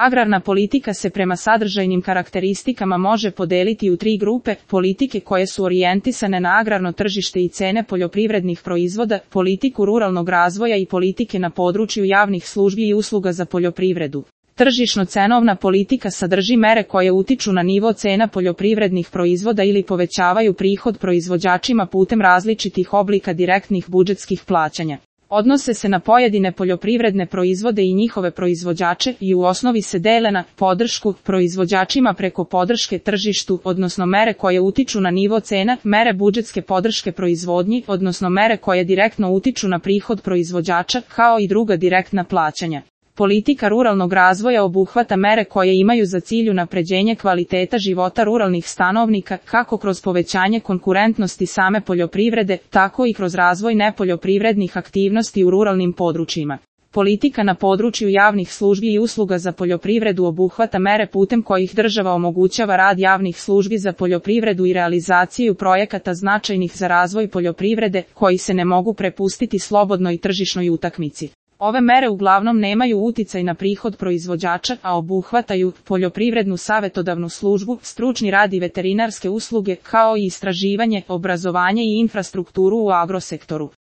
Agrarna politika se prema sadržajnim karakteristikama može podeliti u 3 grupe: politike koje su orijentisane na agrarno tržište i cene poljoprivrednih proizvoda, politiku ruralnog razvoja i politike na području javnih službi i usluga za poljoprivredu. Tržišno-cenovna politika sadrži mere koje utiču na nivo cena poljoprivrednih proizvoda ili povećavaju prihod proizvođačima putem različitih oblika direktnih budžetskih plaćanja. Odnose se na pojedine poljoprivredne proizvode i njihove proizvođače i u osnovi se dele na podršku proizvođačima preko podrške tržištu, odnosno mere koje utiču na nivo cena, mere budžetske podrške proizvodnji, odnosno mere koje direktno utiču na prihod proizvođača, kao i druga direktna plaćanja. Politika ruralnog razvoja obuhvata mere koje imaju za cilj unapređenje kvaliteta života ruralnih stanovnika, kako kroz povećanje konkurentnosti same poljoprivrede, tako i kroz razvoj nepoljoprivrednih aktivnosti u ruralnim područjima. Politika na području javnih službi i usluga za poljoprivredu obuhvata mere putem kojih država omogućava rad javnih službi za poljoprivredu i realizaciju projekata značajnih za razvoj poljoprivrede, koji se ne mogu prepustiti slobodnoj tržišnoj utakmici. Ove mere uglavnom nemaju uticaj na prihod proizvođača, a obuhvataju poljoprivrednu savetodavnu službu, stručni rad i veterinarske usluge, kao i istraživanje, obrazovanje i infrastrukturu u agrosektoru.